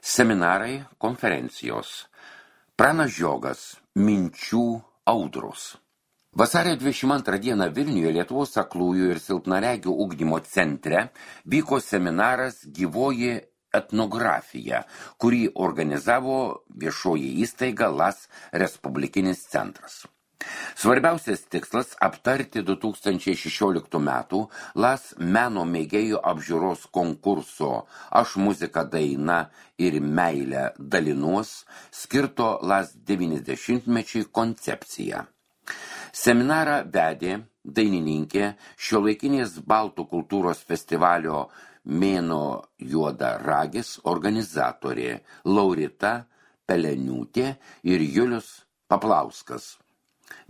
Seminarai, konferencijos. Pranas Žiogas, minčių audros. Vasario 22 dieną Vilniuje Lietuvos aklųjų ir silpnaregių ugdymo centre vyko seminaras Gyvoji etnografija, kurį organizavo viešoji įstaiga LAS Respublikinis centras. Svarbiausias tikslas aptarti 2016 metų LAS meno mėgėjų apžiūros konkurso Aš muzika daina ir meilę dalinuos skirto LAS 90-mečiai koncepciją. Seminarą vedė dainininkė šiuolaikinės baltų kultūros festivalio Mėnuo juoda ragis organizatorė Laurita Peleniūtė ir Julius Paplauskas.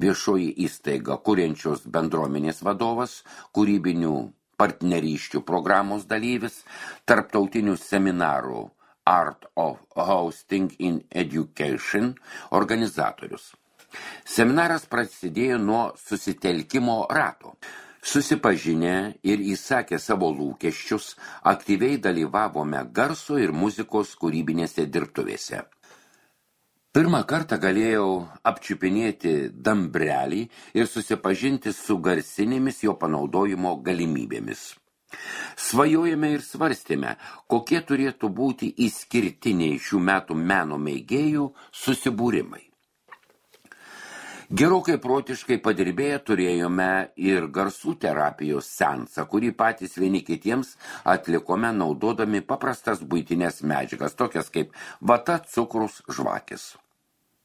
Viešoji įstaiga kuriančios bendruomenės vadovas, kūrybinių partnerysčių programos dalyvis, tarptautinių seminarų Art of Hosting in Education organizatorius. Seminaras prasidėjo nuo susitelkimo rato. Susipažinę ir įsakę savo lūkesčius, aktyviai dalyvavome garso ir muzikos kūrybinėse dirbtuvėse. Pirmą kartą galėjau apčiupinėti dambrelį ir susipažinti su garsinėmis jo panaudojimo galimybėmis. Svajojame ir svarstėme, kokie turėtų būti išskirtiniai šių metų meno mėgėjų susibūrimai. Gerokai protiškai padirbėję turėjome ir garsų terapijos seansą, kurį patys vieni kitiems atlikome naudodami paprastas buitinės medžiagas, tokias kaip vata, cukrus, žvakės.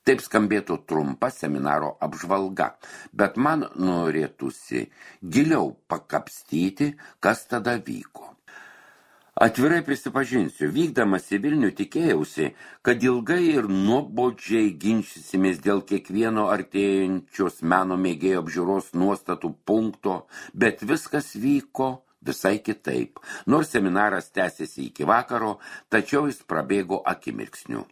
Taip skambėtų trumpa seminaro apžvalga, bet man norėtųsi giliau pakapstyti, kas tada vyko. Atvirai prisipažinsiu, vykdamas į Vilnių tikėjausi, kad ilgai ir nuobodžiai ginčysimės dėl kiekvieno artėjančios meno mėgėjo apžiūros nuostatų punkto, bet viskas vyko visai kitaip. Nors seminaras tęsėsi iki vakaro, tačiau jis prabėgo akimirksniu.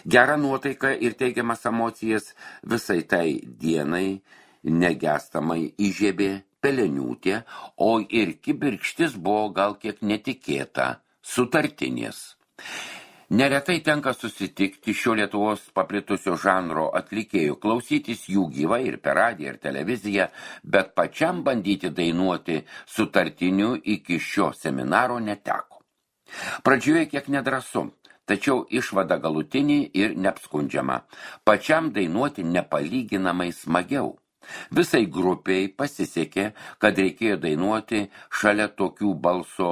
Gerą nuotaiką ir teigiamas emocijas visai tai dienai negestamai įžiebė Peleniūtė, o ir kibirkštis buvo gal kiek netikėta, sutartinės. Neretai tenka susitikti šio Lietuvos paplitusio žanro atlikėjų, klausytis jų gyvai ir per radiją ir televiziją, bet pačiam bandyti dainuoti sutartinių iki šio seminaro neteko. Pradžioje kiek nedrąsu, tačiau išvada galutinį ir neapskundžiama. Pačiam dainuoti nepalyginamai smagiau. Visai grupiai pasisekė, kad reikėjo dainuoti šalia tokių balso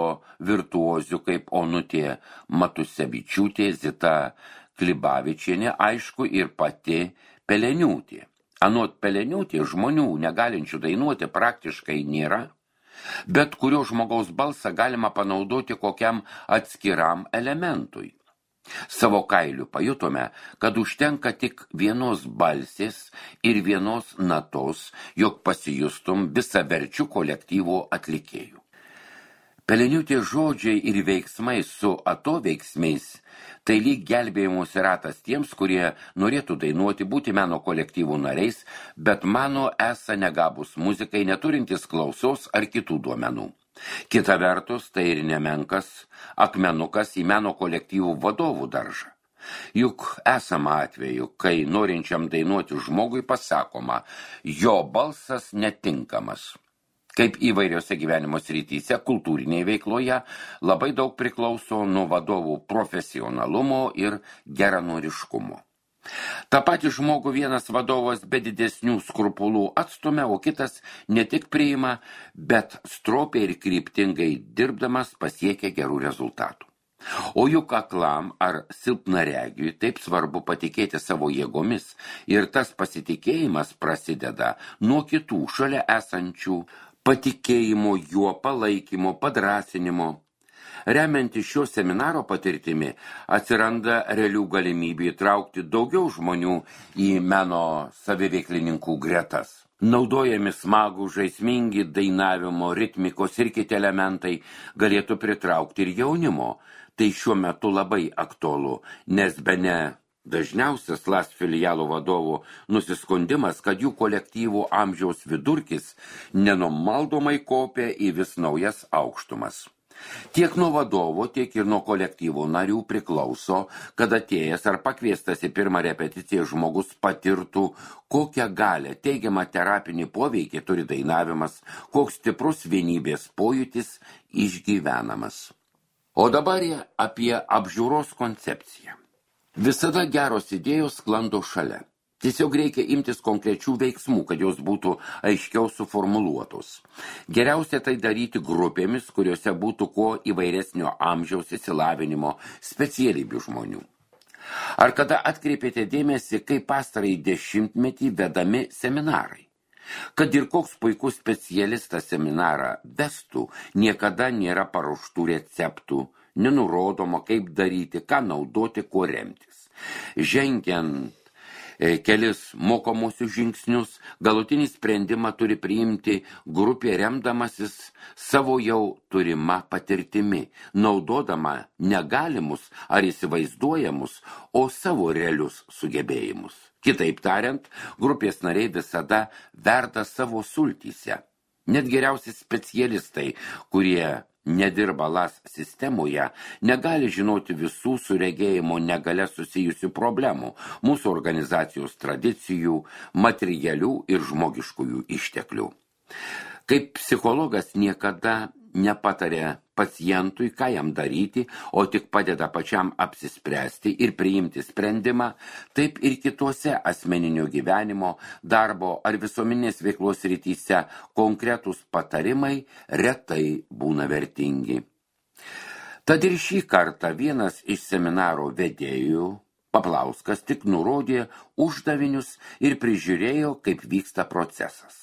virtuozių kaip Onutė Matusevičiūtė, Zita Klibavičienė, aišku, ir pati Peleniūtė. Anot Peleniūtė žmonių negalinčių dainuoti praktiškai nėra, bet kurio žmogaus balsą galima panaudoti kokiam atskiram elementui. Savo kailiu pajutome, kad užtenka tik vienos balsės ir vienos natos, jog pasijustum visaverčių kolektyvo atlikėjų. Peleniūtė žodžiai ir veiksmai su atoveiksmiais tai lyg gelbėjimus ratas tiems, kurie norėtų dainuoti, būti meno kolektyvų nariais, bet mano esą negabus muzikai neturintis klausos ar kitų duomenų. Kita vertus, tai ir nemenkas akmenukas į meno kolektyvų vadovų daržą. Juk esama atveju, kai norinčiam dainuoti žmogui pasakoma, jo balsas netinkamas. Kaip įvairiose gyvenimo srityse, kultūrinėje veikloje labai daug priklauso nuo vadovų profesionalumo ir geranoriškumo. Ta pati žmogų vienas vadovas be didesnių skrupulų atstumia, o kitas ne tik priima, bet stropiai ir kryptingai dirbdamas pasiekia gerų rezultatų. O juk aklam ar silpnaregiui taip svarbu patikėti savo jėgomis ir tas pasitikėjimas prasideda nuo kitų šalia esančių patikėjimo juo, palaikymo, padrąsinimo. Remiantis šio seminaro patirtimi, atsiranda realių galimybių įtraukti daugiau žmonių į meno saviveiklininkų gretas. Naudojami smagų, žaismingi dainavimo, ritmikos ir kiti elementai galėtų pritraukti ir jaunimo. Tai šiuo metu labai aktualu, nes bene dažniausias LAS filialų vadovų nusiskundimas, kad jų kolektyvų amžiaus vidurkis nenumaldomai kopia į vis naujas aukštumas. Tiek nuo vadovo, tiek ir nuo kolektyvo narių priklauso, kad atėjęs ar pakviestas į pirmą repeticiją žmogus patirtų, kokią galę teigiamą terapinį poveikį turi dainavimas, koks stiprus vienybės pojūtis išgyvenamas. O dabar apie apžiūros koncepciją. Visada geros idėjos sklando šalia. Tiesiog reikia imtis konkrečių veiksmų, kad jos būtų aiškiau suformuluotos. Geriausia tai daryti grupėmis, kuriuose būtų kuo įvairesnio amžiaus išsilavinimo specialybių žmonių. Ar kada atkreipėte dėmesį, kaip pastarąjį dešimtmetį vedami seminarai? Kad ir koks puikus specialistas seminarą vestų, niekada nėra paruoštų receptų, nenurodoma, kaip daryti, ką naudoti, kuo remtis. Žengiant kelis mokomuosius žingsnius, galutinį sprendimą turi priimti grupė remdamasis savo jau turima patirtimi, naudodama negalimus ar įsivaizduojamus, o savo realius sugebėjimus. Kitaip tariant, grupės nariai visada verda savo sultyse. Net geriausi specialistai, kurie nedirba LAS sistemoje, negali žinoti visų su regėjimo negale susijusių problemų, mūsų organizacijos tradicijų, materialių ir žmogiškųjų išteklių. Kaip psichologas niekada nepatarė pacientui, ką jam daryti, o tik padeda pačiam apsispręsti ir priimti sprendimą, taip ir kitose asmeninio gyvenimo, darbo ar visuomenės veiklos srityse konkretūs patarimai retai būna vertingi. Tad ir šį kartą vienas iš seminaro vedėjų, Paplauskas, tik nurodė uždavinius ir prižiūrėjo, kaip vyksta procesas.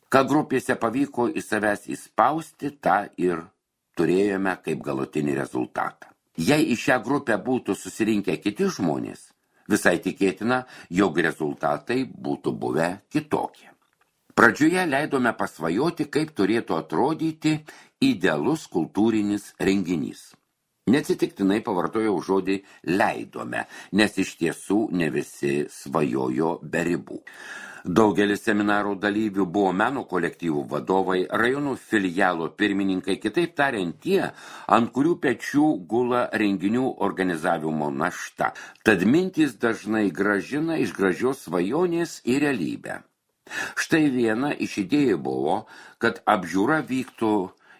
Ką grupėse pavyko į savęs įspausti, tą ir turėjome kaip galutinį rezultatą. Jei į šią grupę būtų susirinkę kiti žmonės, visai tikėtina, jog rezultatai būtų buvę kitokie. Pradžioje leidome pasvajoti, kaip turėtų atrodyti idealus kultūrinis renginys. Neatsitiktinai pavartojau žodį leidome, nes iš tiesų ne visi svajojo be ribų. Daugelis seminarų dalyvių buvo meno kolektyvų vadovai, rajonų filialo pirmininkai, kitaip tariant tie, ant kurių pečių gula renginių organizavimo našta. Tad mintys dažnai grąžina iš gražios svajonės į realybę. Štai viena iš idėjų buvo, kad apžiūra vyktų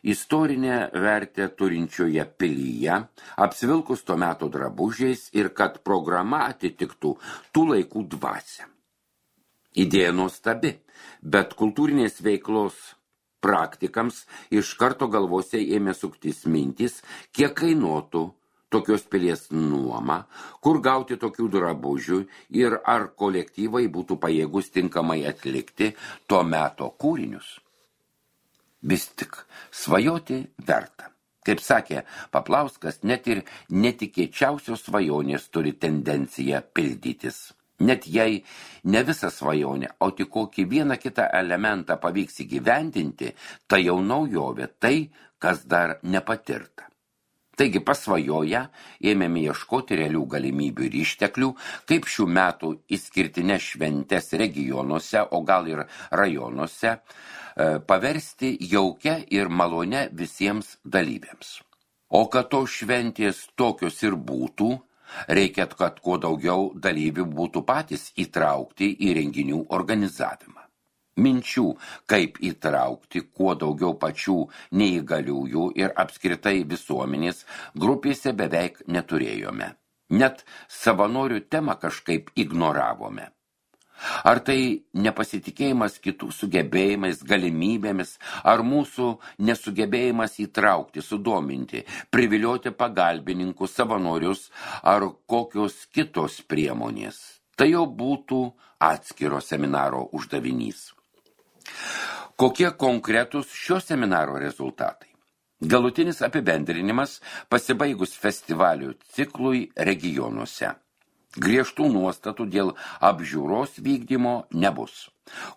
istorinę vertę turinčioje pilyje, apsivilkus to meto drabužiais ir kad programa atitiktų tų laikų dvasią. Idėja nuostabi, bet kultūrinės veiklos praktikams iš karto galvose ėmė suktis mintis, kiek kainuotų tokios pilies nuoma, kur gauti tokių drabužių ir ar kolektyvai būtų pajėgus tinkamai atlikti to meto kūrinius. Vis tik svajoti verta. Kaip sakė Paplauskas, net ir netikėčiausios svajonės turi tendenciją pildytis. Net jei ne visą svajonę, o tik kokį vieną kitą elementą pavyks įgyvendinti, tai jau naujovė, tai, kas dar nepatirta. Taigi pasvajoję ėmėme ieškoti realių galimybių ir išteklių, kaip šių metų išskirtinės šventės regionuose, o gal ir rajonuose, paversti jaukia ir malone visiems dalyviams. O kad to šventės tokios ir būtų, reikia, kad kuo daugiau dalyvių būtų patys įtraukti į renginių organizavimą. Minčių, kaip įtraukti kuo daugiau pačių neįgaliųjų ir apskritai visuomenės grupėse beveik neturėjome. Net savanorių temą kažkaip ignoravome. Ar tai nepasitikėjimas kitų sugebėjimais, galimybėmis, ar mūsų nesugebėjimas įtraukti, sudominti, privilioti pagalbininkus, savanorius, ar kokios kitos priemonės. Tai jau būtų atskiro seminaro uždavinys. Kokie konkretūs šio seminaro rezultatai? Galutinis apibendrinimas pasibaigus festivalių ciklui regionuose. Griežtų nuostatų dėl apžiūros vykdymo nebus.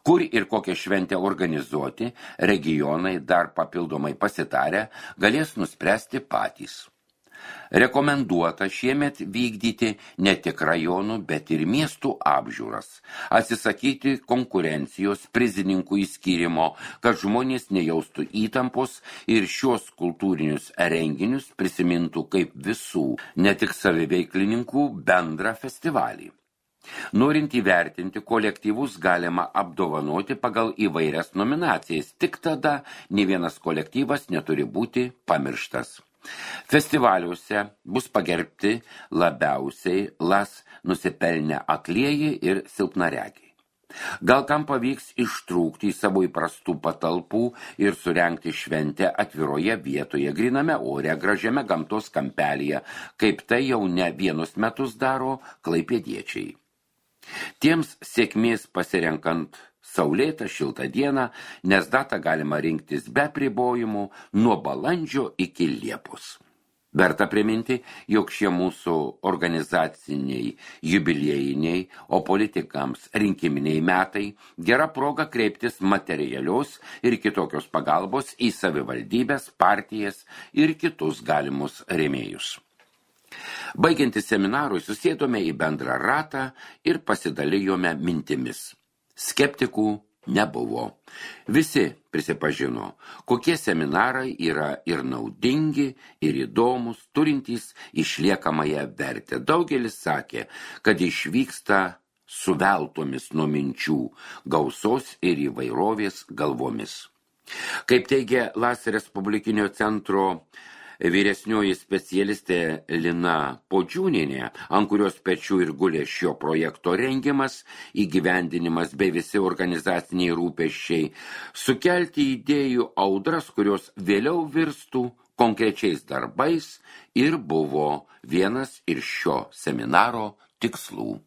Kur ir kokią šventę organizuoti, regionai dar papildomai pasitarę galės nuspręsti patys. Rekomenduota šiemet vykdyti ne tik rajonų, bet ir miestų apžiūras, atsisakyti konkurencijos prizininkų įskyrimo, kad žmonės nejaustų įtampos ir šios kultūrinius renginius prisimintų kaip visų, ne tik saviveiklininkų bendrą festivalį. Norint įvertinti kolektyvus galima apdovanoti pagal įvairias nominacijas, tik tada nė vienas kolektyvas neturi būti pamirštas. Festivaliuose bus pagerbti labiausiai las nusipelnę aklieji ir silpnaregiai. Gal kam pavyks ištrūkti į savo įprastų patalpų ir surengti šventę atviroje vietoje, gryname ore, gražiame gamtos kampelyje, kaip tai jau ne vienus metus daro klaipėdiečiai. Tiems sėkmės pasirenkant saulėtą šiltą dieną, nes datą galima rinktis be apribojimų nuo balandžio iki Liepos. Verta priminti, jog šie mūsų organizaciniai, jubiliejiniai, o politikams rinkiminiai metai gera proga kreiptis materialios ir kitokios pagalbos į savivaldybės, partijas ir kitus galimus rėmėjus. Baigiantis seminarui susėdome į bendrą ratą ir pasidalijome mintimis. Skeptikų nebuvo. Visi prisipažino, kokie seminarai yra ir naudingi, ir įdomus, turintys išliekamąją vertę. Daugelis sakė, kad išvyksta suveltomis nuo minčių, gausos ir įvairovės galvomis. Kaip teigia LAS Respublikinio centro vyresnioji specialistė Lina Podžiūnienė, ant kurios pečių ir gulė šio projekto rengimas, įgyvendinimas bei visi organizaciniai rūpesčiai, sukelti idėjų audras, kurios vėliau virstų konkrečiais darbais ir buvo vienas iš šio seminaro tikslų.